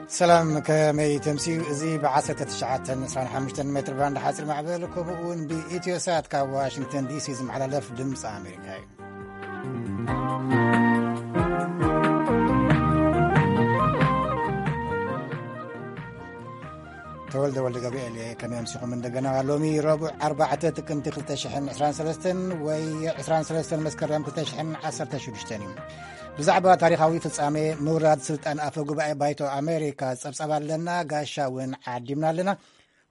ሰላም፣ ከመይ ተምስዩ? እዚ ብ1925 ሜትር ባንድ ሓፂር ማዕበል፣ ከምኡ እውን ብኢትዮ ሳት ካብ ዋሽንግተን ዲሲ ዝመሓላለፍ ድምፂ ኣሜሪካ እዩ። ተወልደ ወልደ ገብርኤል እየ። ከመይ ኣምሲኹም? እንደገና ሎሚ ረቡዕ ኣርባዕተ ጥቅምቲ ክልተ ሽሕን ዕስራን ሰለስተን ወይ ዕስራን ሰለስተን መስከረም ክልተ ሽሕን ዓሰርተ ሽዱሽተን እዩ። ብዛዕባ ታሪኻዊ ፍጻሜ ምውራድ ስልጣን ኣፈ ጉባኤ ባይቶ ኣሜሪካ ጸብጻብ ኣለና። ጋሻ እውን ዓዲምና ኣለና።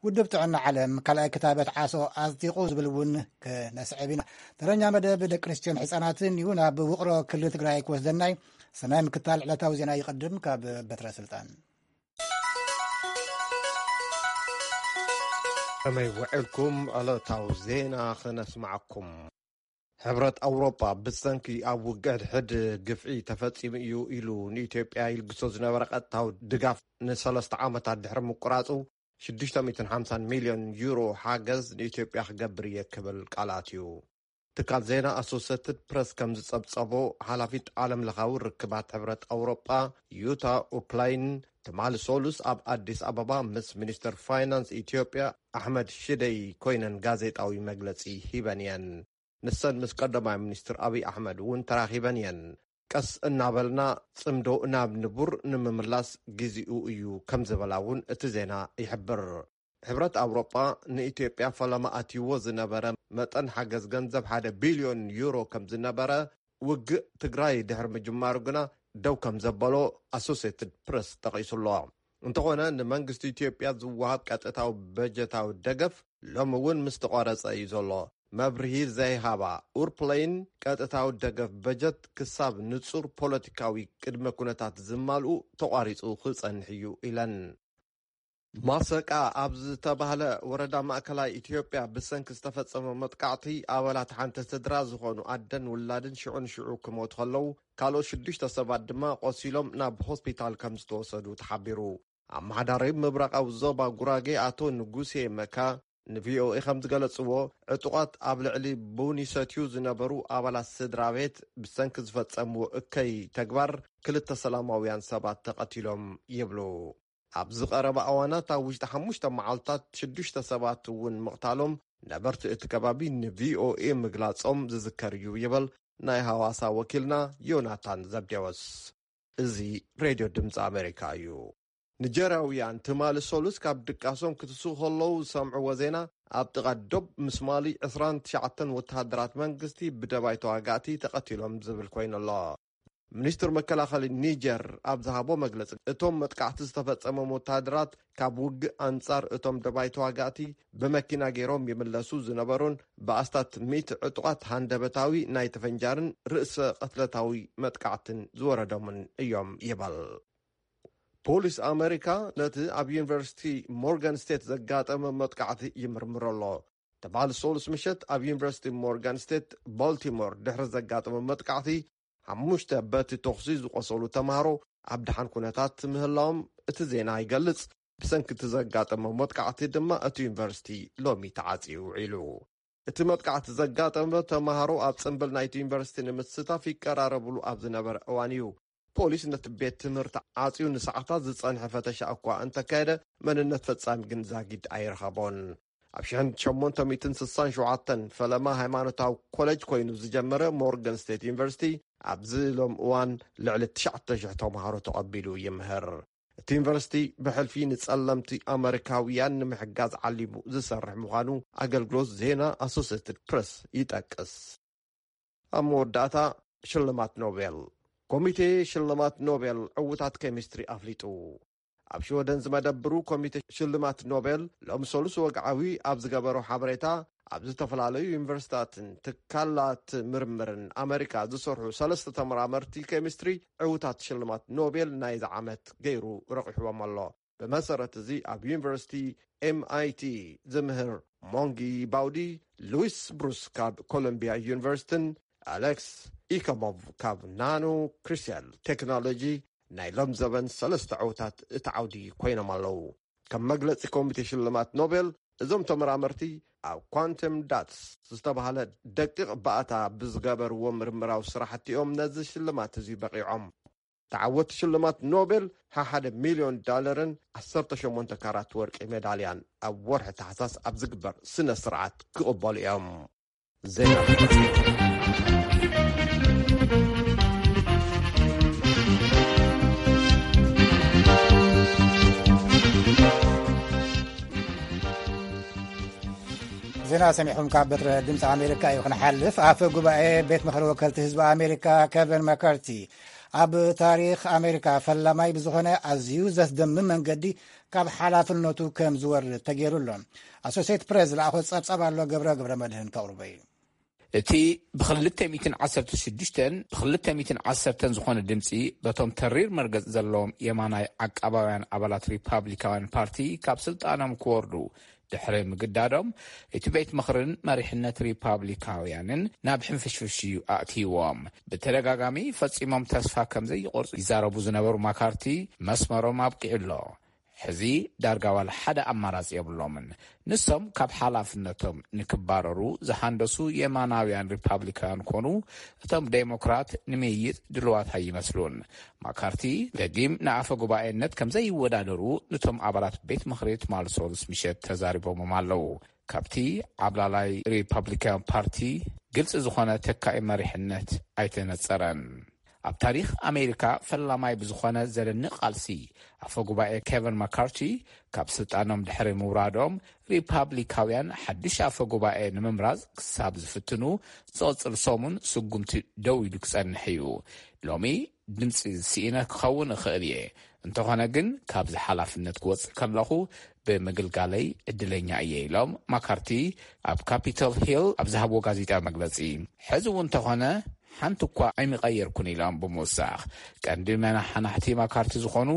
ውድብ ጥዕና ዓለም ካልኣይ ክታበት ዓሶ ኣጽዲቑ ዝብል እውን ክነስዕብ ኢና። ተረኛ መደብ ደቂ ኣንስትዮን ሕጻናትን እዩ። ናብ ውቕሮ ክልል ትግራይ ክወስደናይ። ሰናይ ምክታል ዕለታዊ ዜና ይቐድም ካብ በትረ ስልጣን። ከመይ ውዕልኩም? ዕለታዊ ዜና ክነስማዓኩም። ሕብረት ኣውሮጳ ብሰንኪ ኣብ ውግእ ሕድሕድ ግፍዒ ተፈጺሙ እዩ ኢሉ ንኢትዮጵያ ይልግሶ ዝነበረ ቀጥታዊ ድጋፍ ንሰለስተ ዓመታት ድሕሪ ምቁራጹ፣ ሽዱሽተ ሚእትን ሓምሳን ሚልዮን ዩሮ ሓገዝ ንኢትዮጵያ ክገብር እየ ክብል ቃል ኣትዩ። ትካል ዜና ኣሶሴትድ ፕረስ ከም ዝጸብጸቦ፣ ሓላፊት ዓለም ለኻዊ ርክባት ሕብረት ኣውሮጳ ዩታ ኡፕላይን ትማሊ ሰሉስ ኣብ ኣዲስ ኣበባ ምስ ሚኒስተር ፋይናንስ ኢትዮጵያ ኣሕመድ ሽደይ ኮይነን ጋዜጣዊ መግለጺ ሂበን እየን። ንሰን ምስ ቀዳማይ ሚኒስትር ኣብይ ኣሕመድ እውን ተራኺበን እየን። ቀስ እናበልና ጽምዶ ናብ ንቡር ንምምላስ ግዜኡ እዩ ከም ዝበላ እውን እቲ ዜና ይሕብር። ሕብረት ኣውሮጳ ንኢትዮጵያ ፈለማ ኣትይዎ ዝነበረ መጠን ሓገዝ ገንዘብ ሓደ ቢልዮን ዩሮ ከም ዝነበረ፣ ውግእ ትግራይ ድሕሪ ምጅማሩ ግና ደው ከም ዘበሎ ኣሶሴትድ ፕረስ ጠቒሱ ኣሎ። እንተኾነ፣ ንመንግስቲ ኢትዮጵያ ዝወሃብ ቀጥታዊ በጀታዊ ደገፍ ሎሚ እውን ምስ ተቋረጸ እዩ ዘሎ። መብርሂ ዘይሃባ ኡርፕለይን፣ ቀጥታዊ ደገፍ በጀት ክሳብ ንጹር ፖለቲካዊ ቅድመ ኩነታት ዝማልኡ ተቋሪጹ ክጸንሕ እዩ ኢለን። ማሰቃ ኣብ ዝተባህለ ወረዳ ማእከላይ ኢትዮጵያ ብሰንኪ ዝተፈጸመ መጥቃዕቲ ኣባላት ሓንቲ ስድራ ዝኾኑ ኣደን ውላድን ሽዑ ንሽዑ ክሞቱ ከለዉ፣ ካልኦት ሽዱሽተ ሰባት ድማ ቆሲሎም ናብ ሆስፒታል ከም ዝተወሰዱ ተሓቢሩ። ኣመሓዳሪ ምብራቓዊ ዞባ ጉራጌ ኣቶ ንጉሴ መካ ንቪኦኤ ከም ዝገለጽዎ፣ ዕጡቓት ኣብ ልዕሊ ቡን ይሰትዩ ዝነበሩ ኣባላት ስድራ ቤት ብሰንኪ ዝፈጸምዎ እከይ ተግባር ክልተ ሰላማውያን ሰባት ተቐቲሎም ይብሉ። ኣብዚ ቀረባ እዋናት ኣብ ውሽጢ ሓሙሽተ መዓልታት ሽዱሽተ ሰባት እውን ምቕታሎም ነበርቲ እቲ ከባቢ ንቪኦኤ ምግላጾም ዝዝከር እዩ ይብል ናይ ሃዋሳ ወኪልና ዮናታን ዘብዴዎስ። እዚ ሬድዮ ድምፂ ኣሜሪካ እዩ። ኒጀርያውያን ትማሊ ሰሉስ ካብ ድቃሶም ክትስኡ ከለዉ ዝሰምዕዎ ዜና፣ ኣብ ጥቓ ዶብ ምስ ማሊ ዕስራን ትሽዓተን ወተሃደራት መንግስቲ ብደባይ ተዋጋእቲ ተቐቲሎም ዝብል ኮይኑ ኣሎ። ሚኒስትር መከላኸሊ ኒጀር ኣብ ዝሃቦ መግለፂ፣ እቶም መጥቃዕቲ ዝተፈጸሞም ወተሃደራት ካብ ውግእ ኣንጻር እቶም ደባይ ተዋጋእቲ ብመኪና ገይሮም ይምለሱ ዝነበሩን ብኣስታት ሚእቲ ዕጡቓት ሃንደበታዊ ናይ ተፈንጃርን ርእሰ ቅትለታዊ መጥቃዕትን ዝወረዶምን እዮም ይበል። ፖሊስ ኣመሪካ ነቲ ኣብ ዩኒቨርሲቲ ሞርጋን ስቴት ዘጋጠመ መጥቃዕቲ ይምርምር ኣሎ። ትማሊ ሰሉስ ምሸት ኣብ ዩኒቨርሲቲ ሞርጋን ስቴት ባልቲሞር ድሕሪ ዘጋጠመ መጥቃዕቲ፣ ሓሙሽተ በቲ ተኹሲ ዝቆሰሉ ተምሃሮ ኣብ ደሓን ኩነታት ምህላዎም እቲ ዜና ይገልጽ። ብሰንኪ እቲ ዘጋጠመ መጥቃዕቲ ድማ እቲ ዩኒቨርሲቲ ሎሚ ተዓጽዩ ውዒሉ። እቲ መጥቃዕቲ ዘጋጠመ ተምሃሮ ኣብ ጽምብል ናይቲ ዩኒቨርሲቲ ንምስታፍ ይቀራረብሉ ኣብ ዝነበረ እዋን እዩ። ፖሊስ ነቲ ቤት ትምህርቲ ዓጽዩ ንሰዓታት ዝጸንሐ ፈተሻ እኳ እንተካየደ፣ መንነት ፈጻሚ ግን ዛጊድ ኣይረኸቦን። ኣብ ሽሕን ሸሞንተ ሚእትን ስሳን ሸውዓተን ፈለማ ሃይማኖታዊ ኮሌጅ ኮይኑ ዝጀመረ ሞርጋን ስቴት ዩኒቨርሲቲ፣ ኣብዚ ሎም እዋን ልዕሊ ትሽዓተ ሽሕ ተምሃሮ ተቐቢሉ ይምህር። እቲ ዩኒቨርሲቲ ብሕልፊ ንጸለምቲ ኣመሪካውያን ንምሕጋዝ ዓሊሙ ዝሰርሕ ምዃኑ ኣገልግሎት ዜና ኣሶሴትድ ፕረስ ይጠቅስ። ኣብ መወዳእታ፣ ሽልማት ኖቤል። ኮሚቴ ሽልማት ኖቤል ዕውታት ኬሚስትሪ ኣፍሊጡ። ኣብ ሽወደን ዝመደብሩ ኮሚቴ ሽልማት ኖቤል ሎም ሰሉስ ወግዓዊ ኣብ ዝገበሮ ሓበሬታ፣ ኣብ ዝተፈላለዩ ዩኒቨርሲታትን ትካላት ምርምርን ኣመሪካ ዝሰርሑ ሰለስተ ተመራመርቲ ኬሚስትሪ ዕውታት ሽልማት ኖቤል ናይዚ ዓመት ገይሩ ረቒሕዎም ኣሎ። ብመሰረት እዚ ኣብ ዩኒቨርሲቲ ኤምኣይቲ ዝምህር ሞንጊ ባውዲ፣ ሉዊስ ብሩስ ካብ ኮሎምቢያ ዩኒቨርሲቲን ኣሌክስ ኢከሞቭ ካብ ናኖ ክሪስታል ቴክኖሎጂ ናይ ሎም ዘበን ሰለስተ ዕውታት እቲ ዓውዲ ኮይኖም ኣለዉ። ከም መግለጺ ኮሚቴ ሽልማት ኖቤል፣ እዞም ተመራመርቲ ኣብ ኳንተም ዳትስ ዝተባህለ ደቂቕ ባእታ ብዝገበርዎ ምርምራዊ ስራሕቲ እዮም ነዚ ሽልማት እዚ በቒዖም። ተዓወቲ ሽልማት ኖቤል ሓሓደ ሚልዮን ዳለርን ዓሰርተ ሸሞንተ ካራት ወርቂ ሜዳልያን ኣብ ወርሒ ታሕሳስ ኣብ ዝግበር ስነ ስርዓት ክቕበሉ እዮም። ዜና ዜና ሰሚዕኹም ካብ በትረ ድምፂ ኣሜሪካ እዩ። ክንሓልፍ፣ ኣፈ ጉባኤ ቤት ምኽሪ ወከልቲ ህዝቢ ኣሜሪካ ኬቨን መካርቲ ኣብ ታሪኽ ኣሜሪካ ፈላማይ ብዝኾነ ኣዝዩ ዘስደምም መንገዲ ካብ ሓላፍነቱ ከም ዝወርድ ተገይሩ ኣሎ። ኣሶሴት ፕሬስ ዝለኣኾ ጸብጻብ ኣሎ፣ ገብረ ገብረ መድህን ከቕርቦ እዩ። እቲ ብ216 ብ210 ዝኾነ ድምፂ በቶም ተሪር መርገፂ ዘለዎም የማናይ ዓቃባውያን ኣባላት ሪፓብሊካውያን ፓርቲ ካብ ስልጣኖም ክወርዱ ድሕሪ ምግዳዶም፣ እቲ ቤት ምኽርን መሪሕነት ሪፓብሊካውያንን ናብ ሕንፍሽፍሽ እዩ ኣእትይዎም። ብተደጋጋሚ ፈጺሞም ተስፋ ከም ዘይቆርጹ ይዛረቡ ዝነበሩ ማካርቲ፣ መስመሮም ኣብቂዑ ኣሎ። ሕዚ ዳርጋ ዋላ ሓደ ኣማራጺ የብሎምን። ንሶም ካብ ሓላፍነቶም ንክባረሩ ዝሃንደሱ የማናውያን ሪፓብሊካውያን ኮኑ፣ እቶም ዴሞክራት ንምይይጥ ድልዋት ኣይመስሉን። ማካርቲ ደጊም ንኣፈ ጉባኤነት ከም ዘይወዳደሩ ንቶም ኣባላት ቤት ምኽሪ ትማሊ ሰሉስ ምሸት ተዛሪቦሞም ኣለዉ። ካብቲ ዓብላላይ ሪፓብሊካን ፓርቲ ግልፂ ዝኾነ ተካኢ መሪሕነት ኣይተነፀረን። ኣብ ታሪኽ ኣሜሪካ ፈላማይ ብዝኾነ ዘደንቕ ቃልሲ፣ ኣፈ ጉባኤ ኬቨን ማካርቲ ካብ ስልጣኖም ድሕሪ ምውራዶም፣ ሪፓብሊካውያን ሓድሽ ኣፈ ጉባኤ ንምምራፅ ክሳብ ዝፍትኑ፣ ዝቕፅል ሰሙን ስጉምቲ ደው ኢሉ ክጸንሕ እዩ። ሎሚ ድምፂ ስኢነ ክኸውን እኽእል እየ፣ እንተኾነ ግን ካብዚ ሓላፍነት ክወፅእ ከለኹ ብምግልጋለይ ዕድለኛ እየ፣ ኢሎም ማካርቲ ኣብ ካፒቶል ሂል ኣብ ዝሃብዎ ጋዜጣዊ መግለፂ። ሕዚ እውን እንተኾነ ሓንቲ እኳ ኣይምቐየርኩን፣ ኢሎም ብምውሳኽ፣ ቀንዲ መናሓናሕቲ ማካርቲ ዝኾኑ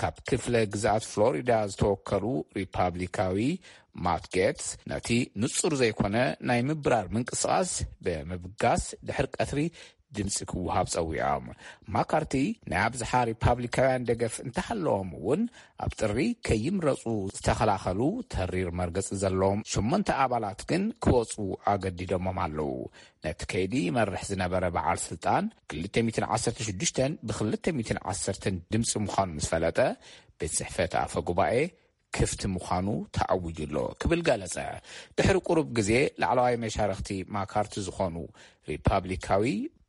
ካብ ክፍለ ግዝኣት ፍሎሪዳ ዝተወከሉ ሪፓብሊካዊ ማት ጌትስ ነቲ ንጹር ዘይኮነ ናይ ምብራር ምንቅስቓስ ብምብጋስ ድሕሪ ቀትሪ ድምፂ ክወሃብ ጸዊዖም። ማካርቲ ናይ ኣብዝሓ ሪፓብሊካውያን ደገፍ እንተሃለዎም እውን፣ ኣብ ጥሪ ከይምረፁ ዝተኸላኸሉ ተሪር መርገፂ ዘለዎም ሸሞንተ ኣባላት ግን ክወፁ ኣገዲዶሞም ኣለዉ። ነቲ ከይዲ ይመርሕ ዝነበረ በዓል ስልጣን፣ ክልተ ሚእትን ዓሰርተ ሽዱሽተን ብ210ን ድምፂ ምዃኑ ምስ ፈለጠ፣ ቤት ጽሕፈት ኣፈ ጉባኤ ክፍቲ ምዃኑ ተኣዊጁ ኣሎ ክብል ገለጸ። ድሕሪ ቁሩብ ግዜ፣ ላዕለዋይ መሻርኽቲ ማካርቲ ዝኾኑ ሪፓብሊካዊ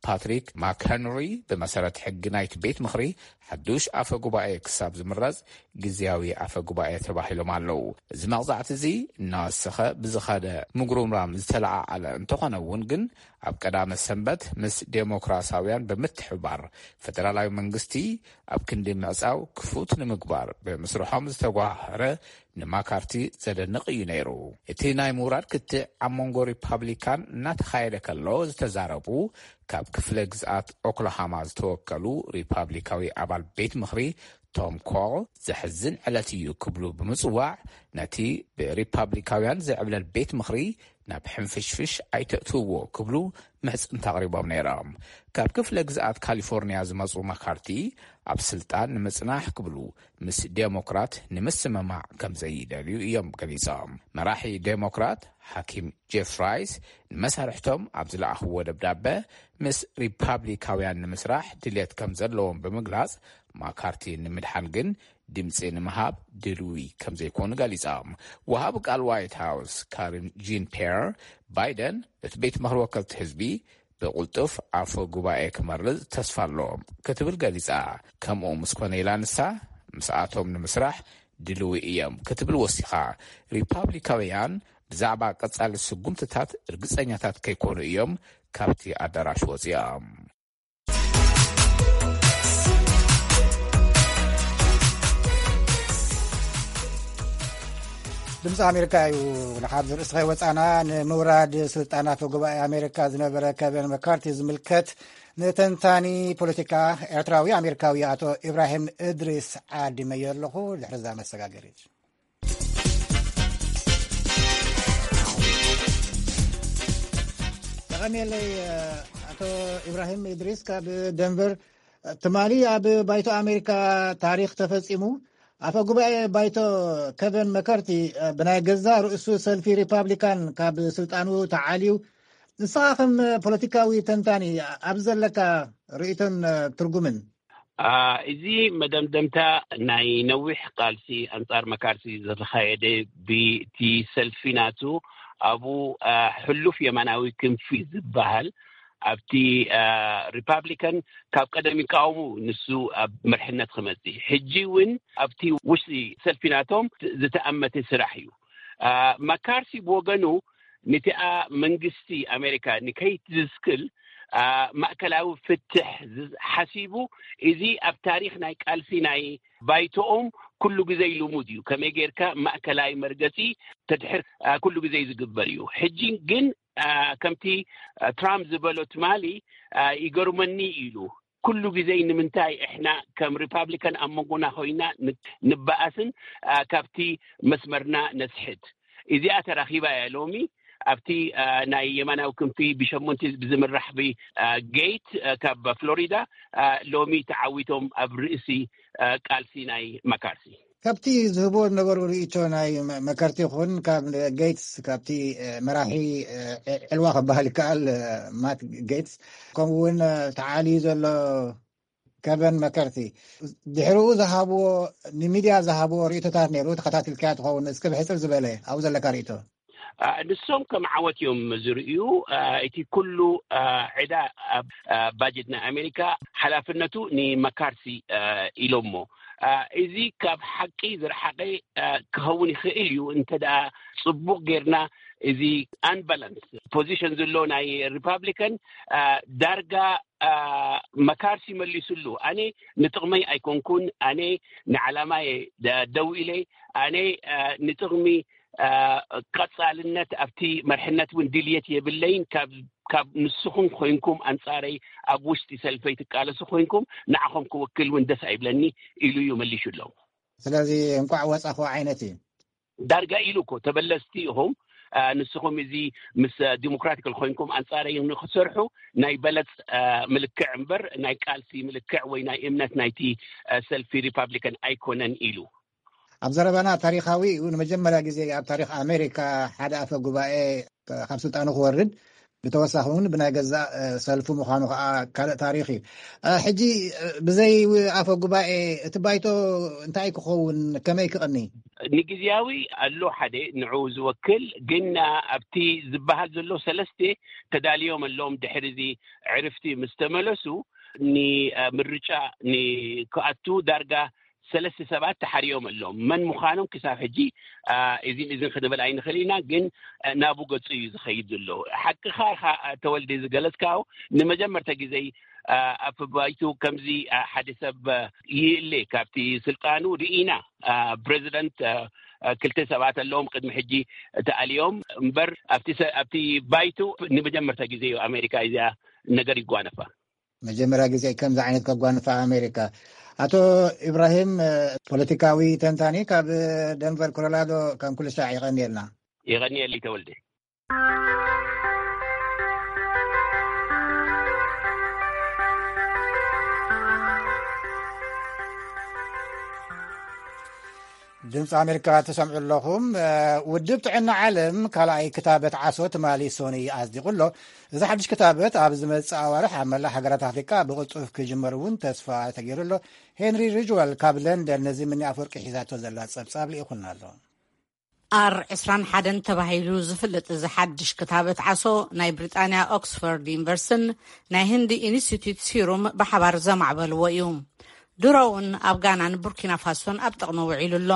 ፓትሪክ ማክሄንሪ፣ ብመሰረት ሕጊ ናይቲ ቤት ምኽሪ፣ ሓዱሽ ኣፈ ጉባኤ ክሳብ ዝምረጽ ግዝያዊ ኣፈ ጉባኤ ተባሂሎም ኣለዉ። እዚ መቕጻዕቲ እዚ እናወሰኸ ብዝኸደ ምጉርምራም ዝተለዓዓለ እንተኾነ እውን ግን፣ ኣብ ቀዳመ ሰንበት ምስ ዴሞክራሳውያን ብምትሕብባር፣ ፈደራላዊ መንግስቲ ኣብ ክንዲ ምዕጻው ክፉት ንምግባር ብምስርሖም ዝተጓሃረ ንማካርቲ ዘደንቕ እዩ ነይሩ። እቲ ናይ ምውራድ ክትዕ ኣብ መንጎ ሪፓብሊካን እናተኻየደ ከሎ ዝተዛረቡ፣ ካብ ክፍለ ግዝኣት ኦክላሃማ ዝተወከሉ ሪፓብሊካዊ ኣባል ቤት ምኽሪ ቶም ኮል፣ ዘሕዝን ዕለት እዩ ክብሉ ብምጽዋዕ፣ ነቲ ብሪፓብሊካውያን ዝዕብለል ቤት ምኽሪ ናብ ሕንፍሽፍሽ ኣይተእትውዎ ክብሉ ምሕጽንታ ኣቕሪቦም ነይሮም። ካብ ክፍለ ግዝኣት ካሊፎርኒያ ዝመጹ ማካርቲ፣ ኣብ ስልጣን ንምጽናሕ ክብሉ ምስ ዴሞክራት ንምስምማዕ ከም ዘይደልዩ እዮም ገሊጾም። መራሒ ዴሞክራት ሓኪም ጄፍ ራይስ ንመሳርሕቶም ኣብ ዝለኣኽዎ ደብዳበ፣ ምስ ሪፓብሊካውያን ንምስራሕ ድልየት ከም ዘለዎም ብምግላጽ፣ ማካርቲ ንምድሓን ግን ድምጺ ንምሃብ ድልዊ ከም ዘይኮኑ ገሊጾም። ወሃቢ ቃል ዋይት ሃውስ ካሪን ጂን ፔር፣ ባይደን እቲ ቤት ምኽሪ ወከልቲ ህዝቢ ብቕልጡፍ ኣፈ ጉባኤ ክመርጽ ተስፋ ኣሎ ክትብል ገሊጻ። ከምኡ ምስ ኮነ፣ ኢላ ንሳ፣ ምስኣቶም ንምስራሕ ድልዊ እዮም ክትብል ወሲኻ። ሪፓብሊካውያን ብዛዕባ ቀጻሊ ስጉምትታት ርግጸኛታት ከይኮኑ እዮም ካብቲ ኣዳራሽ ወጺኦም። ድምፂ ኣሜሪካ እዩ። ንሓብ ዝርእስቲ ከይወፃና፣ ንምውራድ ስልጣን ኣፈ ጉባኤ ኣሜሪካ ዝነበረ ኬቨን መካርቲ ዝምልከት ንተንታኒ ፖለቲካ ኤርትራዊ ኣሜሪካዊ ኣቶ ኢብራሂም እድሪስ ዓዲመዮ ኣለኹ። ድሕሪ እዛ መሰጋገሪት ተቐንየለይ። ኣቶ ኢብራሂም እድሪስ ካብ ደንቨር። ትማሊ ኣብ ባይቶ ኣሜሪካ ታሪኽ ተፈጺሙ። ኣፈ ጉባኤ ባይቶ ኬቨን መከርቲ ብናይ ገዛ ርእሱ ሰልፊ ሪፓብሊካን ካብ ስልጣኑ ተዓልዩ። ንስኻ ከም ፖለቲካዊ ተንታኒ ኣብ ዘለካ ርእይቶን ትርጉምን? አ፣ እዚ መደምደምታ ናይ ነዊሕ ቃልሲ ኣንጻር መካርሲ ዝተኻየደ፣ ብቲ ሰልፊ ናቱ ኣብኡ፣ አ፣ ሕሉፍ የማናዊ ክንፊ ዝበሃል ኣብቲ፣ አ፣ ሪፓብሊካን ካብ ቀደም ይቃወሙ፣ ንሱ ኣብ መርሕነት ክመጽእ። ሕጂ እውን ኣብቲ ውሽጢ ሰልፊ ናቶም ዝተኣመተ ስራሕ እዩ። አ፣ መካርሲ ብወገኑ፣ ነቲኣ መንግስቲ ኣሜሪካ ንከይትዝክል፣ አ፣ ማእከላዊ ፍትሕ ዝ-፣ ሓሲቡ፣ እዚ ኣብ ታሪኽ ናይ ቃልሲ ናይ ባይቶኦም ኩሉ ግዜ ልሙድ እዩ። ከመይ ጌርካ ማእከላይ መርገጺ ተድሕር፣ አ፣ ኩሉ ግዜ ዝግበር እዩ። ሕጂ ግን፣ አ፣ ከምቲ፣ አ፣ ትራምፕ ዝበሎ ትማሊ፣ አ፣ ይገርመኒ ኢሉ። ኩሉ ግዜ ንምንታይ እሕና ከም ሪፓብሊካን ኣብ መንጎና ኮይና ን-፣ ንበኣስን፣ አ፣ ካብቲ መስመርና ነስሕት? እዚኣ ተራኺባ እያ ሎሚ። ኣብቲ፣ አ፣ ናይ የማናዊ ክንፊ ብሸሞንቲ ብዝምራሕ ብ-፣ አ፣ ጌት፣ አ፣ ካብ ፍሎሪዳ፣ አ፣ ሎሚ ተዓዊቶም ኣብ ርእሲ፣ አ፣ ቃልሲ ናይ መካርሲ። ካብቲ ዝህቦ ነበሩ ርእይቶ ናይ መ-፣ መከርቲ ይኹን ካብ ጌትስ፣ ካብቲ፣ አ፣ መራሒ፣ አ፣ ዕልዋ ክበሃል ይከኣል፣ አ፣ ማት ጌትስ፣ ከምኡ እውን፣ አ፣ ተዓልዩ ዘሎ ከቨን መከርቲ ድሕሪኡ ዝሃብዎ፣ ንሚድያ ዝሃብዎ ርእይቶታት ነይሩ፣ ተኸታቲልካዮ ትኸውን። እስኪ ብሕጽር ዝበለ ኣብኡ ዘለካ ርእይቶ። አ፣ ንሶም ከም ዓወት እዮም ዝርእዩ። አ፣ እቲ ኩሉ፣ አ፣ ዕዳ ኣብ፣ አ፣ ባጀት ናይ ኣሜሪካ ሓላፍነቱ ንመካርሲ፣ አ፣ ኢሎሞ። አ፣ እዚ ካብ ሓቂ ዝረሓቐ፣ አ፣ ክኸውን ይኽእል እዩ፣ እንተ ደኣ ጽቡቕ ጌርና እዚ ኣንባላንስ ፖዚሽን ዘሎ ናይ ሪፓብሊካን፣ አ፣ ዳርጋ፣ አ፣ መካርሲ መሊሱሉ። ኣነ ንጥቕመይ ኣይኮንኩን፣ ኣነ ንዓላማየ ደ-፣ ደው ኢለ፣ ኣነ፣ አ፣ ንጥቕሚ፣ አ፣ ቀጻልነት ኣብቲ መርሕነት እውን ድልየት የብለይን። ካብ፣ ካብ ንስኹም ኮይንኩም ኣንጻረይ ኣብ ውሽጢ ሰልፈይ ትቃለሱ ኮይንኩም፣ ንዓኹም ክውክል እውን ደስ ኣይብለኒ ኢሉ እዩ መሊሹ ኣሎ። ስለዚ እንቋዕ ወጻኹ ዓይነት እዩ። ዳርጋ ኢሉ እኮ፣ ተበለስቲ ኢኹም፣ አ፣ ንስኹም እዚ ምስ ዲሞክራቲካል ኮይንኩም ኣንጻረይ ንክትሰርሑ ናይ በለጽ፣ አ፣ ምልክዕ እምበር ናይ ቃልሲ ምልክዕ ወይ ናይ እምነት ናይቲ፣ አ፣ ሰልፊ ሪፓብሊካን ኣይኮነን ኢሉ። ኣብ ዘረባና ታሪኻዊ እዩ። ንመጀመርያ ግዜ ኣብ ታሪኽ ኣሜሪካ ሓደ ኣፈ ጉባኤ ካብ ስልጣኑ ክወርድ፣ ብተወሳኺ እውን ብናይ ገዛእ፣ እ፣ ሰልፉ ምዃኑ ከዓ ካልእ ታሪኽ እዩ። እ፣ ሕጂ፣ እ፣ ብዘይ ኣፈ ጉባኤ እቲ ባይቶ እንታይ ክኸውን፣ ከመይ ክቐኒ? ንግዝያዊ ኣሎ ሓደ ንዕኡ ዝወክል፣ ግን ኣብቲ ዝበሃል ዘሎ ሰለስተ ተዳልዮም ኣለዎም። ድሕሪ እዚ ዕርፍቲ ምስ ተመለሱ፣ ንምርጫ ንክኣቱ ዳርጋ ሰለስተ ሰባት ተሓርዮም ኣለዎም። መን ምዃኖም ክሳብ ሕጂ፣ አ፣ እዚን እዚን ክንብል ኣይንኽእል ኢና፣ ግን፣ አ፣ ናቡ ገጹ እዩ ዝኸይድ ዘሎ። ሓቅኻ ኢኻ፣ አ፣ ተወልደ ዝገለጽካዮ። ንመጀመርታ ግዜ፣ አ፣ ኣብ ባይቱ ከምዚ፣ አ፣ ሓደ ሰብ፣ አ፣ ይእለ ካብቲ ስልጣኑ ርኢና። አ፣ ፕሬዚደንት፣ አ፣ አ፣ ክልተ ሰባት ኣለዎም ቅድሚ ሕጂ ተኣልዮም እምበር፣ ኣብቲ ሰ-፣ ኣብቲ ባይቱ ንመጀመርታ ግዜ እዩ ኣሜሪካ እዚኣ ነገር ይጓነፋ። መጀመርያ ግዜ ከምዚ ዓይነት ከጓንፋ ኣሜሪካ። ኣቶ ኢብራሂም፣ ፖለቲካዊ ተንታኒ ካብ ደንቨር ኮሎራዶ፣ ከም ኩሉ ሳዕ የቐንየልና። የቐንየለይ ተወልደ። ድምፂ ኣሜሪካ ትሰምዑ ኣለኹም። እ፣ ውድብ ጥዕና ዓለም ካልኣይ ክታበት ዓሶ ትማሊ ሶኒ ኣጽዲቑ ኣሎ። እዚ ሓድሽ ክታበት ኣብ ዝመጽእ ኣዋርሕ ኣብ መላእ ሃገራት ኣፍሪቃ ብቕልጡፍ ክጅመር እውን ተስፋ ተገይሩ ኣሎ። ሄንሪ ሪጅዋል ካብ ለንደን ነዚ ምኒ ኣፈወርቂ ሒዛቶ ዘላ ጸብጻብ ልኢኹልና ኣሎ። ኣር ዕስራን ሓደን ተባሂሉ ዝፍለጥ እዚ ሓድሽ ክታበት ዓሶ ናይ ብሪጣንያ ኦክስፎርድ ዩኒቨርሲቲን ናይ ህንዲ ኢንስቲትዩት ሲሩም ብሓባር ዘማዕበልዎ እዩ። ድሮ እውን ኣብ ጋናን ቡርኪና ፋሶን ኣብ ጥቕሚ ውዒሉ ኣሎ።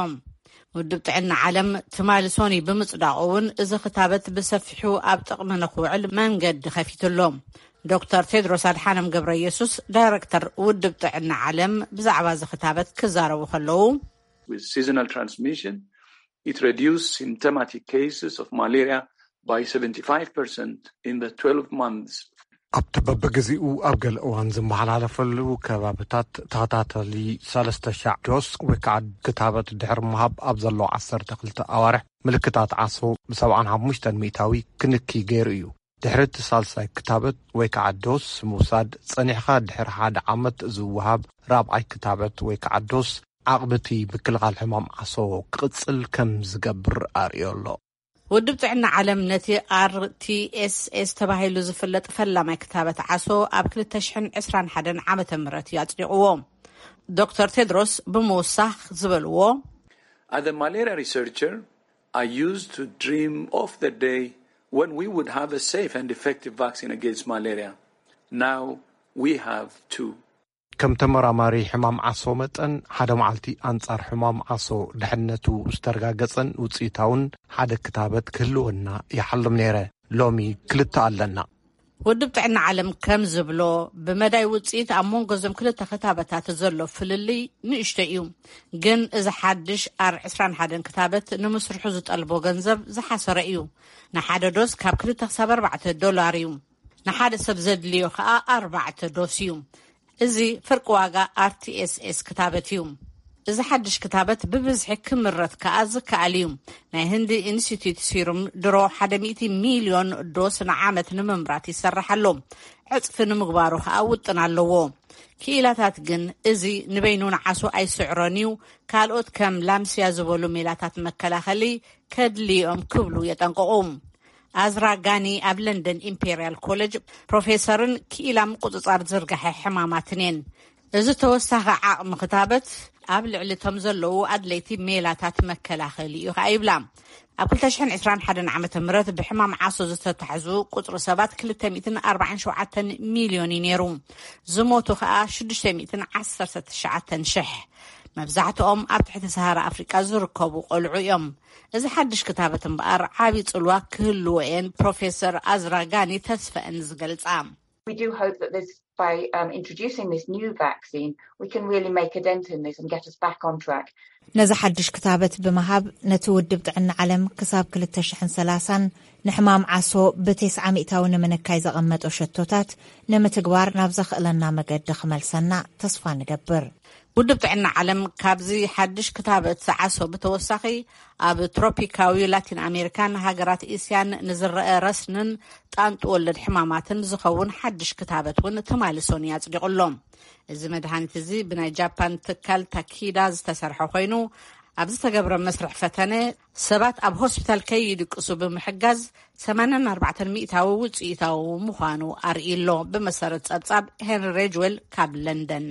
ውድብ ጥዕና ዓለም ትማሊ ሶኒ ብምጽዳቑ እውን እዚ ክታበት ብሰፊሑ ኣብ ጥቕሚ ንኽውዕል መንገዲ ከፊቱ ኣሎ። ዶክተር ቴድሮስ ኣድሓኖም ገብረ ኢየሱስ፣ ዳይሬክተር ውድብ ጥዕና ዓለም፣ ብዛዕባ እዚ ክታበት ክዛረቡ ከለዉ፣ With seasonal transmission, it reduced symptomatic cases of malaria by seventy-five percent in the twelve months. ኣብቲ በብግዜኡ ኣብ ገለ እዋን ዝመሓላለፈሉ ከባብታት ተኸታተሊ ሰለስተ ሻዕ ዶስ ወይ ከዓ ክታበት ድሕሪ ምሃብ ኣብ ዘለዎ ዓሰርተ ክልተ ኣዋርሕ ምልክታት ዓሶ ብሰብዓን ሓሙሽተን ሚእታዊ ክንኪ ገይሩ እዩ። ድሕሪ እቲ ሳልሳይ ክታበት ወይ ከዓ ዶስ ምውሳድ፣ ጸኒሕኻ ድሕሪ ሓደ ዓመት ዝወሃብ ራብዓይ ክታበት ወይ ከዓ ዶስ ዓቕሚ እቲ ምክልኻል ሕማም ዓሶ ክቕጽል ከም ዝገብር ኣርእዮ ኣሎ። ውድብ ጥዕና ዓለም ነቲ ኣር ቲ ኤስ ኤስ ተባሂሉ ዝፍለጥ ፈላማይ ክታበት ዓሶ ኣብ ክልተ ሽሕን ዕስራን ሓደን ዓመተ ምህረት እዩ ኣጽዲቕዎ። ዶክተር ቴድሮስ ብምውሳኽ ዝበልዎ፣ As a malaria researcher, I used to dream of the day when we would have a safe and effective vaccine against malaria. Now we have two. ከም ተመራማሪ ሕማም ዓሶ መጠን፣ ሓደ መዓልቲ ኣንጻር ሕማም ዓሶ ድሕነቱ ዝተረጋገጸን ውጽኢታውን ሓደ ክታበት ክህልወና ይሓልም ነይረ። ሎሚ ክልተ ኣለና። ውድብ ጥዕና ዓለም ከም ዝብሎ፣ ብመዳይ ውጽኢት ኣብ መንጎ እዞም ክልተ ክታበታት ዘሎ ፍልልይ ንእሽቶ እዩ። ግን እዚ ሓድሽ ኣር ዕስራን ሓደን ክታበት ንምስርሑ ዝጠልቦ ገንዘብ ዝሓሰረ እዩ። ንሓደ ዶስ ካብ ክልተ ክሳብ ኣርባዕተ ዶላር እዩ። ንሓደ ሰብ ዘድልዮ ከኣ ኣርባዕተ ዶስ እዩ። እዚ ፍርቂ ዋጋ ኣር ቲ ኤስ ኤስ ክታበት እዩ። እዚ ሓድሽ ክታበት ብብዝሒ ክምረት ከኣ ዝከኣል እዩ። ናይ ህንዲ ኢንስቲትዩት ሲሩም ድሮ ሓደ ሚእቲ ሚልዮን ዶስ ንዓመት ንምምራት ይሰርሕ ኣሎ። ዕጽፊ ንምግባሩ ከኣ ውጥን ኣለዎ። ክኢላታት ግን እዚ ንበይኑ ንዓሶ ኣይስዕሮን እዩ፣ ካልኦት ከም ላምስያ ዝበሉ ሜላታት መከላኸሊ ከድልዮም ክብሉ የጠንቅቑ። ኣዝራ ጋኒ ኣብ ለንደን ኢምፔርያል ኮሌጅ ፕሮፌሰርን ክኢላ ምቁጽጻር ዝርጋሐ ሕማማትን እየን። እዚ ተወሳኺ ዓቕሚ ክታበት ኣብ ልዕሊ እቶም ዘለዉ ኣድለይቲ ሜላታት መከላኸሊ እዩ ከኣ ይብላ። ኣብ ክልተ ሽሕን ዕስራን ሓደን ዓመተ ምህረት ብሕማም ዓሶ ዝተታሕዙ ቁጽሪ ሰባት ክልተ ሚእትን ኣርባዓን ሸውዓተን ሚልዮን እዩ ነይሩ። ዝሞቱ ከኣ ሽዱሽተ ሚእትን ዓሰርተ ትሽዓተን ሽሕ። መብዛሕትኦም ኣብ ትሕቲ ሰሃራ ኣፍሪቃ ዝርከቡ ቆልዑ እዮም። እዚ ሓድሽ ክታበት እምበኣር ዓቢ ጽልዋ ክህልዎ እየን ፕሮፌሰር ኣዝራ ጋኒ ተስፈአን ዝገልጻ። We do hope that this, by um, introducing this new vaccine, we can really make a dent in this and get us back on track. ነዚ ሓድሽ ክታበት ብምሃብ፣ ነቲ ውድብ ጥዕና ዓለም ክሳብ ክልተ ሽሕን ሰላሳን ንሕማም ዓሶ ብተስዓ ሚእታዊ ንምንካይ ዘቐመጦ ሸቶታት ንምትግባር ናብ ዘኽእለና መገዲ ክመልሰና ተስፋ ንገብር። ውድብ ጥዕና ዓለም ካብዚ ሓድሽ ክታበት ዓሶ ብተወሳኺ፣ ኣብ ትሮፒካዊ ላቲን ኣሜሪካን ሃገራት እስያን ንዝረአ ረስንን ጣንጡ ወለድ ሕማማትን ዝኸውን ሓድሽ ክታበት እውን ትማሊ ሶኒ ኣጽዲቑ ኣሎ። እዚ መድሃኒት እዚ ብናይ ጃፓን ትካል ታኪዳ ዝተሰርሐ ኮይኑ፣ ኣብ ዝተገብረ መስርሕ ፈተነ ሰባት ኣብ ሆስፒታል ከይድቅሱ ብምሕጋዝ ሰማንያን ኣርባዕተን ሚእታዊ ውጽኢታዊ ምዃኑ ኣርእዩ ኣሎ። ብመሰረት ጸብጻብ ሄንሪ ሬጅዌል ካብ ለንደን።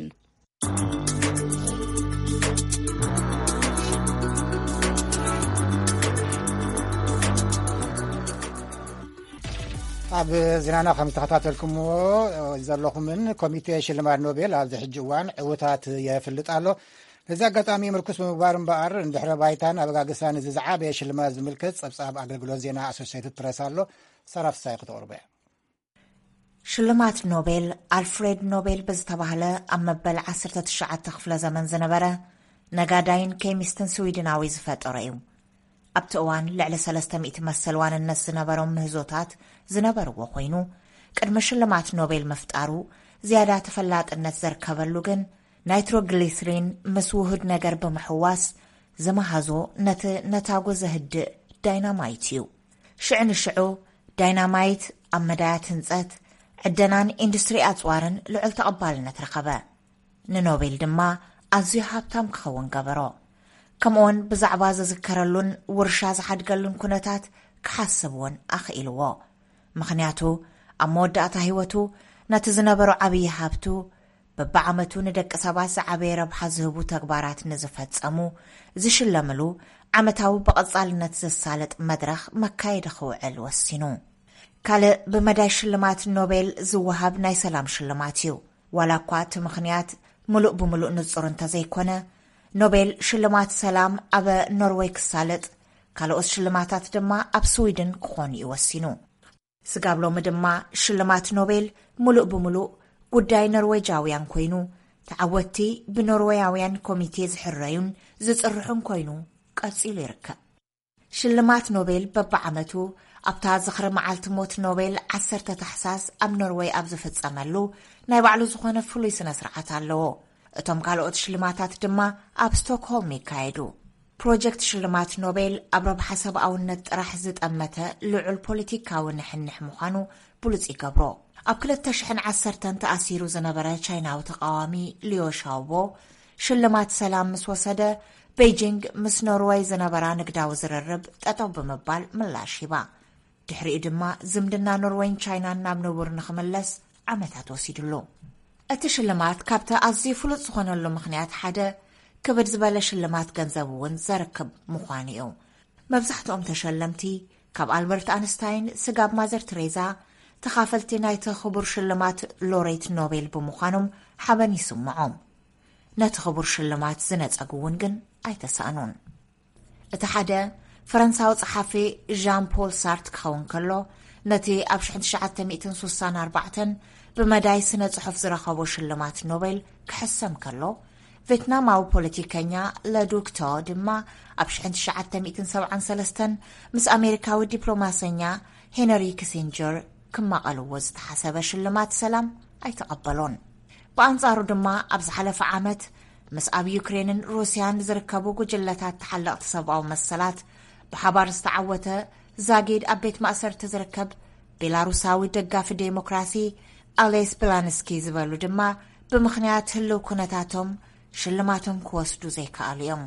ኣብ ዜናና ከም ዝተኸታተልኩምዎ ዘለኹምን፣ ኮሚቴ ሽልማት ኖቤል ኣብዚ ሕጂ እዋን ዕውታት የፍልጥ ኣሎ። ነዚ ኣጋጣሚ ምርኩስ ብምግባር እምበኣር፣ እንድሕረ ባይታን ኣበጋግሳን እዚ ዝዓበየ ሽልማት ዝምልከት ጸብጻብ ኣገልግሎት ዜና ኣሶሴትድ ፕረስ ኣሎ። ሰራፍሳይ ክተቕርቦ እያ። ሽልማት ኖቤል ኣልፍሬድ ኖቤል ብዝተባህለ ኣብ መበል ዓሰርተ ትሽዓተ ክፍለ ዘመን ዝነበረ ነጋዳይን ኬሚስትን ስዊድናዊ ዝፈጠሮ እዩ። ኣብቲ እዋን ልዕሊ ሰለስተ ሚእቲ መሰል ዋንነት ዝነበሮም ምህዞታት ዝነበርዎ ኮይኑ፣ ቅድሚ ሽልማት ኖቤል ምፍጣሩ ዝያዳ ተፈላጥነት ዘርከበሉ ግን ናይትሮግሊስሪን ምስ ውሁድ ነገር ብምሕዋስ ዝመሃዞ ነቲ ነታጉ ዘህድእ ዳይናማይት እዩ። ሽዑ ንሽዑ ዳይናማይት ኣብ መዳያት ህንጸት፣ ዕደናን ኢንዱስትሪ ኣጽዋርን ልዑል ተቐባልነት ረኸበ። ንኖቤል ድማ ኣዝዩ ሃብታም ክኸውን ገበሮ። ከምኡውን ብዛዕባ ዝዝከረሉን ውርሻ ዝሓድገሉን ኩነታት ክሓስብ እውን ኣኽኢልዎ። ምኽንያቱ ኣብ መወዳእታ ህይወቱ ነቲ ዝነበሮ ዓብዪ ሃብቱ፣ በብዓመቱ ንደቂ ሰባት ዝዓበየ ረብሓ ዝህቡ ተግባራት ንዝፈጸሙ ዝሽለምሉ ዓመታዊ ብቐጻልነት ዘሳልጥ መድረኽ መካየዲ ክውዕል ወሲኑ። ካልእ ብመዳይ ሽልማት ኖቤል ዝወሃብ ናይ ሰላም ሽልማት እዩ። ዋላ እኳ እቲ ምኽንያት ምሉእ ብምሉእ ንጹር እንተዘይኮነ፣ ኖቤል ሽልማት ሰላም ኣብ ኖርወይ ክሳለጥ፣ ካልኦት ሽልማታት ድማ ኣብ ስዊድን ክኾኑ እዩ ወሲኑ። ስጋብ ሎሚ ድማ ሽልማት ኖቤል ምሉእ ብምሉእ ጉዳይ ኖርዌጃውያን ኮይኑ፣ ተዓወትቲ ብኖርዌያውያን ኮሚቴ ዝሕረዩን ዝጽርሑን ኮይኑ ቀጺሉ ይርከብ። ሽልማት ኖቤል በብዓመቱ ኣብታ ዝኽሪ መዓልቲ ሞት ኖቤል ዓሰርተ ታሕሳስ ኣብ ኖርወይ ኣብ ዝፍጸመሉ ናይ ባዕሉ ዝኾነ ፍሉይ ስነ ስርዓት ኣለዎ። እቶም ካልኦት ሽልማታት ድማ ኣብ ስቶክሆልም ይካየዱ። ፕሮጀክት ሽልማት ኖቤል ኣብ ረብሓ ሰብኣውነት ጥራሕ ዝጠመተ ልዑል ፖለቲካዊ ንሕንሕ ምዃኑ ብሉጽ ይገብሮ። ኣብ ክልተ ሽሕን ዓሰርተን ተኣሲሩ ዝነበረ ቻይናዊ ተቓዋሚ ሊዮ ሻውቦ ሽልማት ሰላም ምስ ወሰደ፣ ቤይጂንግ ምስ ኖርወይ ዝነበራ ንግዳዊ ዝርርብ ጠጠው ብምባል ምላሽ ሂባ። ድሕሪኡ ድማ ዝምድና ኖርወይን ቻይናን ናብ ንቡር ንኽምለስ ዓመታት ወሲድሉ። እቲ ሽልማት ካብቲ ኣዝዩ ፍሉጥ ዝኾነሉ ምኽንያት ሓደ፣ ክብድ ዝበለ ሽልማት ገንዘብ እውን ዘርክብ ምዃኑ እዩ። መብዛሕትኦም ተሸለምቲ፣ ካብ ኣልበርት ኣንስታይን ስጋብ ማዘር ትሬዛ፣ ተኻፈልቲ ናይቲ ክቡር ሽልማት ሎሬት ኖቤል ብምዃኖም ሓበን ይስምዖም። ነቲ ክቡር ሽልማት ዝነጸጉ እውን ግን ኣይተሳእኑን። እቲ ሓደ፣ ፈረንሳዊ ጸሓፊ ዣን ፖል ሳርት ክኸውን ከሎ፣ ነቲ ኣብ ሽሕን ትሽዓተ ሚእትን ስሳን ኣርባዕተን ብመዳይ ስነ ጽሑፍ ዝረኸቦ ሽልማት ኖቤል ክሕሰም ከሎ፣ ቬትናማዊ ፖለቲከኛ ለዱክ ቶ ድማ ኣብ ሽሕን ትሽዓተ ሚእትን ሰብዓን ሰለስተን ምስ ኣሜሪካዊ ዲፕሎማሰኛ ሄነሪ ኪሲንጀር ክማቐልዎ ዝተሓሰበ ሽልማት ሰላም ኣይተቐበሎን። ብኣንጻሩ ድማ፣ ኣብ ዝሓለፈ ዓመት ምስ ኣብ ዩክሬንን ሩስያን ዝርከቡ ጉጅለታት ተሓለቕቲ ሰብኣዊ መሰላት ብሓባር ዝተዓወተ ዛጊድ ኣብ ቤት ማእሰርቲ ዝርከብ ቤላሩሳዊ ደጋፊ ዴሞክራሲ ኣሌስ ብላንስኪ ዝበሉ ድማ፣ ብምኽንያት ህልው ኩነታቶም ሽልማቶም ክወስዱ ዘይከኣሉ እዮም።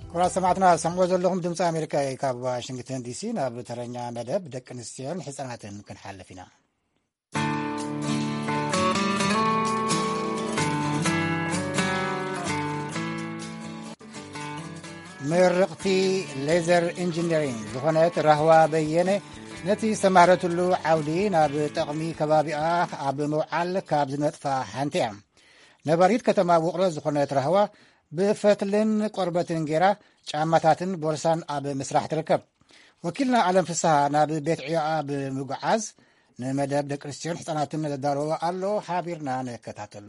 ክቡራት ሰማዕትና፣ ሰምዖ ዘለኹም ድምፂ ኣሜሪካ እዩ። ካብ ዋሽንግተን ዲሲ ናብ ተረኛ መደብ ደቂ ኣንስትዮን ህፃናትን ክንሓልፍ ኢና። ምርቕቲ ሌዘር ኢንጂነሪንግ ዝኾነት ራህዋ በየነ፣ ነቲ ዝተማህረትሉ ዓውዲ ናብ ጠቕሚ ከባቢኣ ኣብ ምውዓል ካብ ዝነጥፋ ሓንቲ እያ። ነባሪት ከተማ ውቕሮ ዝኾነት ራህዋ፣ ብፈትልን ቆርበትን ጌራ ጫማታትን ቦርሳን ኣብ ምስራሕ ትርከብ። ወኪልና ኣለም ፍስሃ ናብ ቤት ዕዮኣ ብምጉዓዝ፣ ንመደብ ደቂ ኣንስትዮን ህፃናትን ዘዳለዎ ኣሎ፣ ሓቢርና ንከታተሎ።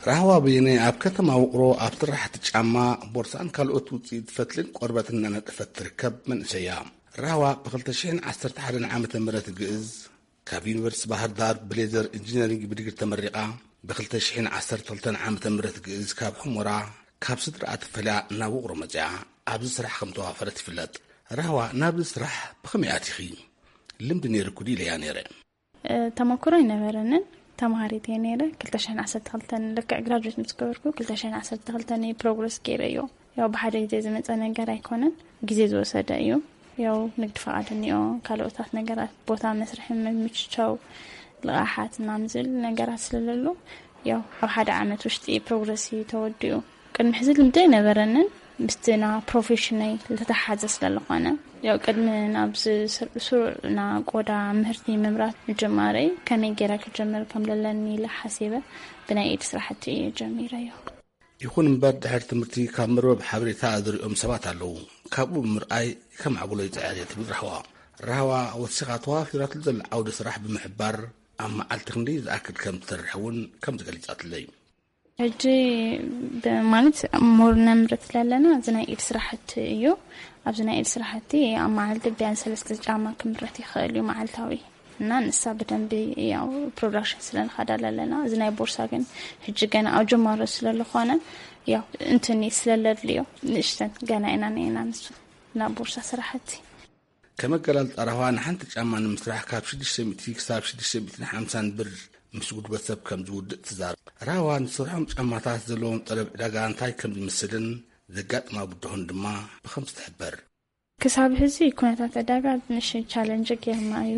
ራህዋ በየነ ኣብ ከተማ ውቕሮ ኣብ ስራሕቲ ጫማ፣ ቦርሳን ካልኦት ውፅኢት ፈትልን ቆርበትን እናነጠፈት ትርከብ መንእሰይ እያ። ራህዋ ብ ክልተ ሽሕን ዓሰርተ ሓደን ዓመተ ምህረት ግእዝ ካብ ዩኒቨርሲቲ ባህር ዳር ብሌዘር ኢንጂነሪንግ ብዲግሪ ተመሪቓ፣ ብ ክልተ ሽሕን ዓሰርተ ክልተን ዓመተ ምህረት ግእዝ ካብ ሑመራ ካብ ስድራኣ ተፈልያ ናብ ውቕሮ መጺኣ ኣብዚ ስራሕ ከም ተዋፈረት ይፍለጥ። ራህዋ፣ ናብዚ ስራሕ ብኸመይ ኣቲኺ? ልምዲ ነይርኩ ድዩ ኢለያ ነይረ። እ፣ ተመክሮ ኣይነበረንን። ተማሃሪት እየ ነይረ። ክልተ ሽሕን ዓሰርተ ክልተን ልክዕ ግራጁዌት ምስ ገበርኩ፣ ክልተ ሽሕን ዓሰርተ ክልተን እየ ፕሮግረስ ገይረዮ። ያው ብሓደ ግዜ ዝመጸ ነገር ኣይኮነን፣ ግዜ ዝወሰደ እዩ። ያው ንግድ ፍቓድ እኒኦ፣ ካልኦታት ነገራት፣ ቦታ መስርሒ ምምችቻው፣ ልቓሓት ምናምን ዝብል ነገራት ስለለሎ፣ ያው ኣብ ሓደ ዓመት ውሽጢ ፕሮግረስ እዩ ተወዲኡ። ቅድሚ ሕዚ ልምዲ ኣይነበረንን፣ ምስቲ ና ፕሮፌሽነይ ዝተተሓዘ ስለዝኾነ፣ ያው ቅድሚ ናብ ዝ-፣ ስሩዕ ና ቆዳ ምህርቲ ምምራት ምጅማረይ፣ ከመይ ገይረ ክጀምር ከም ለለኒ ኢለ ሓሲበ፣ ብናይ ኢድ ስራሕቲ እየ ጀሚረዮ። ይኹን እምበር፣ ድሕሪ ትምህርቲ ካብ መርበብ ሓበሬታ ዝሪኦም ሰባት ኣለዉ። ካብኡ ብምርኣይ ከማዕብሎ ይጽዕር እየ ትብል ራህዋ። ራህዋ ወሲኻ ተዋፊራትሉ ዘላ ዓውዲ ስራሕ ብምሕባር፣ ኣብ መዓልቲ ክንደይ ዝኣክል ከም ትሰርሕ እውን ከም ዝገሊጻትለይ። ሕጂ ብ-፣ ማለት ሞር ነምርት ለለና፣ እዚ ናይ ኢድ ስራሕቲ እዩ። ኣብዚ ናይ ኢድ ስራሕቲ ኣብ መዓልቲ ቢያንስ ሰለስተ ጫማ ክምረት ይኽእል እዩ መዓልታዊ። እና ንሳ ብደንቢ ያው ፕሮዳክሽን ስለ ንኸዳ ለለና፣ እዚ ናይ ቦርሳ ግን ሕጂ ገና ኣብ ጅማሮ ስለ ዝኾነ፣ ያው እንትን ስለ ለድልዮ ንእሽተን ገና ኢና ነና ንሱ ናብ ቦርሳ ስራሕቲ። ከም ኣገላልጻ ራህዋ፣ ንሓንቲ ጫማ ንምስራሕ ካብ ሽዱሽተ ሚእቲ ክሳብ ሽዱሽተ ሚእትን ሓምሳን ብር ምስ ጉልበት ሰብ ከም ዝውድእ ትዛረብ። ራህዋ፣ ንዝሰርሖም ጫማታት ዘለዎም ጠለብ ዕዳጋ እንታይ ከም ዝመስልን ዘጋጥማ ብድሆን ድማ ብኸምዚ ትሕበር። ክሳብ ሕዚ ኩነታት ዕዳጋ ትንሽ ቻለንጅ ጌርና እዩ።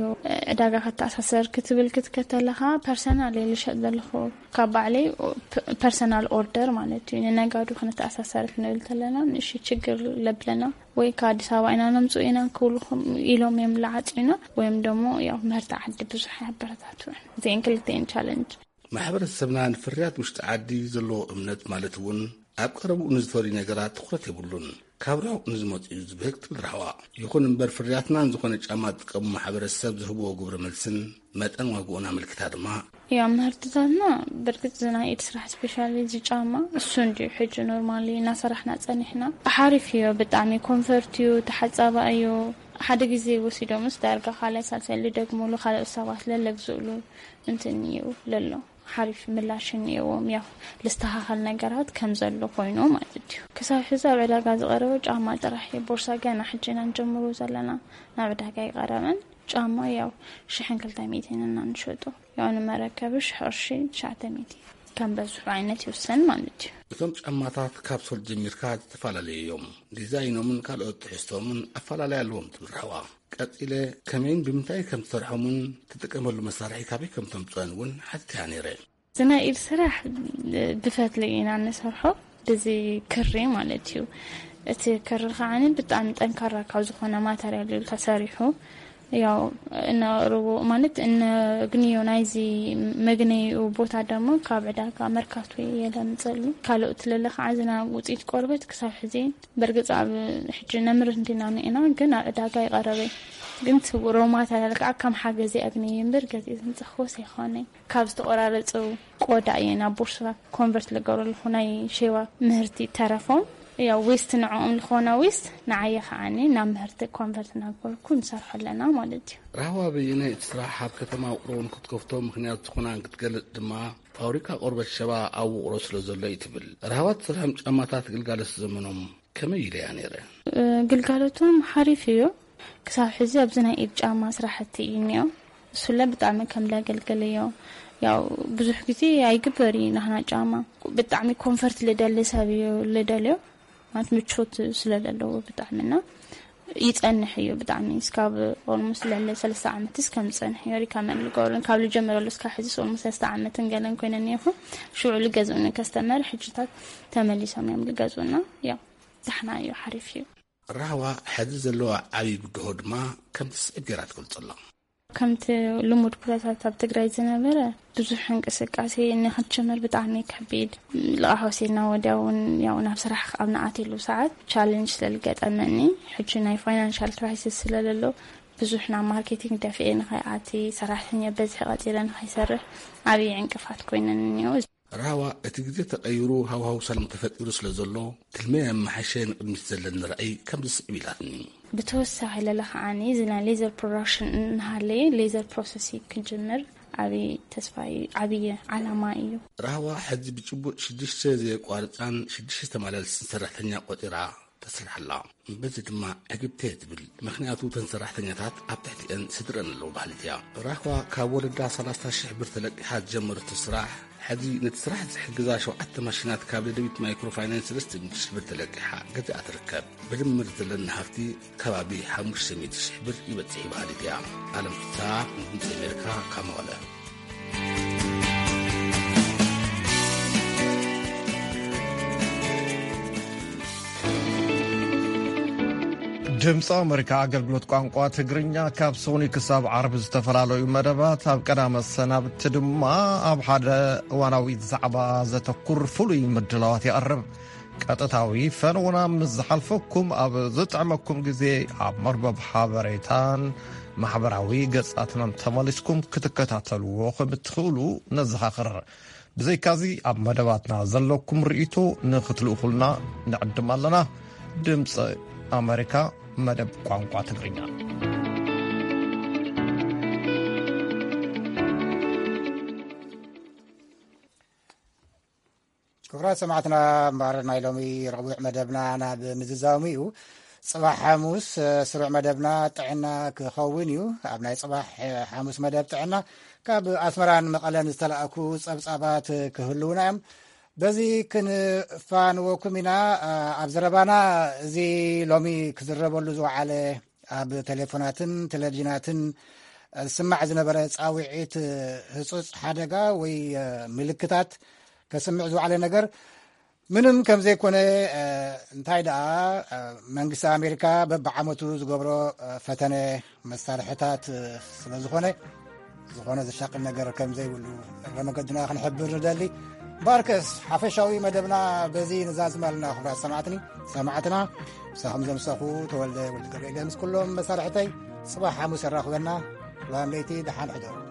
ዕዳጋ ከተኣሳሰር ክትብል ክትከተለኻ፣ ፐርሰናል እየ ልሸጥ ዘለኹ። ካብ ባዕለይ ፐ-፣ ፐርሰናል ኦርደር ማለት እዩ። ንነጋዱ ክንተኣሳሰር ክንብል ተለና፣ ንእሽተይ ችግር ለብለና፣ ወይ ካብ ኣዲስ ኣበባ ኢና ነምጽኡ ኢና ክብሉኹም ኢሎም እዮም ልዓጽዩና፣ ወይም ደሞ ያው ምህርቲ ዓዲ ብዙሕ ኣያበረታትዑን። እዚአን ክልተኤን ቻለንጅ። ማሕበረሰብና ንፍርያት ውሽጢ ዓዲ ዘለዎ እምነት፣ ማለት እውን ኣብ ቀረብኡ ንዝፈርዩ ነገራት ትኹረት የብሉን። ካብ ርሑቕ ንዝመጹ እዩ ዝብህግ ትብል ራህዋ። ይኹን እምበር፣ ፍርያትና ንዝኾነ ጫማ ዝጥቀሙ ማሕበረሰብ ዝህብዎ ግብረ መልስን መጠን ዋግኡን ኣመልኪታ ድማ፣ ያው ምህርትታትና፣ ብርግጽ እዚ ናይ ኢድ ስራሕ ስፔሻሊ እዚ ጫማ እሱ እንድዩ ሕጂ ኖርማሊ እናሰራሕና ጸኒሕና። ሓሪፍ እዩ፣ ብጣዕሚ ኮንፈርት እዩ፣ ተሓጻባ እዩ። ሓደ ግዜ ወሲዶምስ ዳርጋ ካልኣይ ሳልሳይ ልደግሙሉ ካልኦት ሰባት ለለግዝእሉ እንትን እዩ ለሎ። ሓሪፍ ምላሽ እኒኦዎም። ያው ልስተኻኸል ነገራት ከም ዘሎ ኮይኑ ማለት እዩ። ክሳብ ሕዚ ኣብ ዕዳጋ ዝቐረበ ጫማ ጥራሕ እዩ። ቦርሳ ገና ሕጂ ኢና ንጀምሩ ዘለና፣ ናብ ዕዳጋ ኣይቐረበን። ጫማ ያው ሽሕን ክልተ ሚእትን እና ንሸጦ፣ ያው ንመረከቢ ሽሕ ቅርሺ ትሽዓተ ሚእቲ፣ ከም በዝሑ ዓይነት ይውሰን ማለት እዩ። እቶም ጫማታት ካብ ሶል ጀሚርካ ዝተፈላለዩ እዮም። ዲዛይኖምን ካልኦት ትሕዝቶምን ኣፈላለይ ኣለዎም ትብል ራህዋ። ቀጺለ ከመይን ብምንታይ ከም ትሰርሖምን ትጥቀመሉ መሳርሒ ካበይ ከም ተምፅኦን እውን ሓቲትያ ነይረ። እዚ ናይ ኢድ ስራሕ ብፈትሊ ኢና ንሰርሖ፣ ብዚ ክሪ ማለት እዩ። እቲ ክሪ ከዓኒ ብጣዕሚ ጠንካራ ካብ ዝኾነ ማተርያል እዩ ተሰሪሑ። ያው እነቕርቦ ማለት እነግንዮ ናይዚ መግነይኡ ቦታ ደሞ ካብ ዕዳጋ መርካቶ እየ ለምፀሉ። ካልኦት ለለ ከዓ ዝና ውፅኢት ቆርበት ክሳብ ሕዚ በርግፅ ኣብ ሕጂ ነምርት እንዲና ንኢና ግን ኣብ ዕዳጋ ይቐረበይ ግን ሮ ማተርያል ከዓ ከም ሓገዚ ኣግንየ እምበር ገዚእ ዘምፀኽዎስ ኣይኮነይ። ካብ ዝተቆራረፁ ቆዳ እየ ናብ ቦርሳ ኮንቨርት ልገብረልኩ ናይ ሼዋ ምህርቲ ተረፎም ያው ዌስት ንዕኦም ዝኾነ ዌስት ንዓየ ከዓኒ ናብ ምህርቲ ኮንቨርት እናገበርኩ ንሰርሖ ኣለና ማለት እዩ። ራህዋ በየነ እቲ ስራሕ ኣብ ከተማ ውቅሮ እውን ክትከፍቶ ምክንያት ዝኾና ክትገልጽ ድማ ፋብሪካ ቆርበት ሸባ ኣብ ውቅሮ ስለ ዘሎ እዩ ትብል። ራህዋ ትሰርሖም ጫማታት ግልጋሎት ዘመኖም ከመይ ኢለያ ነይረ? ግልጋሎቶም ሓሪፍ እዩ። ክሳብ ሕዚ ኣብዚ ናይ ኢድ ጫማ ስራሕቲ እዩ እኒኦ። እሱለ ብጣዕሚ ከም ለገልግል እዩ። ያው ብዙሕ ግዜ ኣይግበር እዩ ናህና ጫማ። ብጣዕሚ ኮንፈርት ልደሊ ሰብ እዩ ልደልዮ። ማለት ምቾት ስለ ዘለዎ ብጣዕሚ እና ይጸንሕ እዩ ብጣዕሚ። እስካብ ኦልሞስት ልዕሊ ሰለስተ ዓመትስ ከም ዝጸንሕ እዩ ሪከመንድ ልገብሮ። ካብ ልጀምረሉ እስካብ ሕዚስ ኦልሞስት ሰለስተ ዓመትን ገለን ኮይነን እኒኹ። ሽዑ ልገዝኡኒ ከስተመር ሕጅታት ተመሊሶም እዮም ልገዝኡና። ያው ዳሕና እዩ፣ ሓሪፍ እዩ። ራህዋ ሕዚ ዘለዋ ዓብዪ ብድሆ ድማ ከምቲ ስዕብ ጌራ ትገልጾ ኣላ። ከምቲ ልሙድ ኩነታት ኣብ ትግራይ ዝነበረ ብዙሕ እንቅስቃሴ ንክትጀምር ብጣዕሚ ከቢድ። ልቓሕ ወሲድና ወዲያ እውን ያው ናብ ስራሕ ኣብ ንኣትየሉ ሰዓት ቻለንጅ ስለልገጠመኒ፣ ሕጂ ናይ ፋይናንሻል ክራይሲስ ስለለሎ ብዙሕ ናብ ማርኬቲንግ ደፊኤ ንኸይኣቲ፣ ሰራሕተኛ በዝሒ ቀፂረ ንኸይሰርሕ ዓብዪ ዕንቅፋት ኮይነኒ እኒኦ። ራህዋ እቲ ግዜ ተቐይሩ ሃዋህው ሰላም ተፈጢሩ ስለ ዘሎ ትልመ የመሓሸ ንቕድሚት ዘለኒ ራእይ ከምዚ ስዕብ ኢላትኒ። ብተወሳኺ ለለ ከዓኒ እዚ ናይ ሌዘር ፕሮዳክሽን እናሃለየ ሌዘር ፕሮሰሲንግ ክጅምር ዓብዪ ተስፋ እዩ፣ ዓብዪ ዓላማ እዩ። ራህዋ ሕዚ ብጭቡጥ ሽዱሽተ ዘየቋርፃን ሽዱሽተ ተመላልስን ሰራሕተኛ ቆፂራ ተሰርሓላ። በዚ ድማ ዕግብቲ እየ ትብል፣ ምኽንያቱ እተን ሰራሕተኛታት ኣብ ትሕቲአን ስድረን ኣለዉ በሃሊት እያ። ራህዋ ካብ ወለዳ ሰላሳ ሺሕ ብር ተለቂሓ ዝጀመረቶ ስራሕ፣ ሕዚ ነቲ ስራሕ ዝሕግዛ ሸውዓተ ማሽናት ካብ ደደቢት ማይክሮ ፋይናንስ ሰለስተ ሚእቲ ሺሕ ብር ተለቂሓ ገዚኣ ትርከብ። ብድምር ዘለኒ ሃፍቲ ከባቢ ሓሙሽተ ሚእቲ ሺሕ ብር ይበጽሕ እዩ በሃሊት እያ። ኣለም ፍስሃ፣ ድምፂ ኣሜሪካ፣ ካብ መቐለ። ድምፂ ኣሜሪካ ኣገልግሎት ቋንቋ ትግርኛ ካብ ሶኒ ክሳብ ዓርቢ ዝተፈላለዩ መደባት፣ ኣብ ቀዳመ ሰናብቲ ድማ ኣብ ሓደ እዋናዊ ዛዕባ ዘተኩር ፍሉይ ምድላዋት የቕርብ። ቀጥታዊ ፈነውና ምስ ዝሓልፈኩም ኣብ ዝጥዕመኩም ግዜ ኣብ መርበብ ሓበሬታን ማሕበራዊ ገጻትናን ተመሊስኩም ክትከታተልዎ ከም እትኽእሉ ነዘኻኽር። ብዘይካዚ ኣብ መደባትና ዘለኩም ርእይቶ ንኽትልእኹልና ንዕድም ኣለና። ድምፂ ኣሜሪካ መደብ ቋንቋ ትግርኛ። ክቡራት ሰማዕትና፣ እምበኣር ናይ ሎሚ ረቡዕ መደብና ናብ ምዝዛሙ እዩ። ጽባሕ ሓሙስ፣ እ፣ ስሩዕ መደብና ጥዕና ክኸውን እዩ። ኣብ ናይ ጽባሕ፣ እ፣ ሓሙስ መደብ ጥዕና ካብ ኣስመራን መቐለን ዝተላእኩ ጸብጻባት ክህልዉና እዮም። በዚ ክንፋንወኩም ኢና። እ፣ ኣብ ዘረባና እዚ ሎሚ ክዝረበሉ ዝወዓለ ኣብ ቴሌፎናትን ቴሌቪዥናትን ዝስማዕ ዝነበረ ጻውዒት፣ ህጹጽ ሓደጋ ወይ ምልክታት ከስምዕ ዝወዓለ ነገር ምንም ከም ዘይኮነ፣ እንታይ ደኣ መንግስቲ ኣሜሪካ በብዓመቱ ዝገብሮ ፈተነ መሳርሕታት ስለ ዝኾነ፣ ዝኾነ ዘሻቅል ነገር ከም ዘይብሉ እግረ መገድና ክንሕብር ንደሊ። እምበኣርከስ ሓፈሻዊ መደብና በዚ ንዛዝም ኣለና። ክቡራት ሰማዕትኒ፣ ሰማዕትና፣ ምሳኹም ዘምሳኹ ተወልደ ወልደ ገብርኤል ምስ ኩሎም መሳርሕተይ፣ ጽባሕ ሓሙስ የራኽበና። ላም ለይቲ ደሓን ሕደሩ።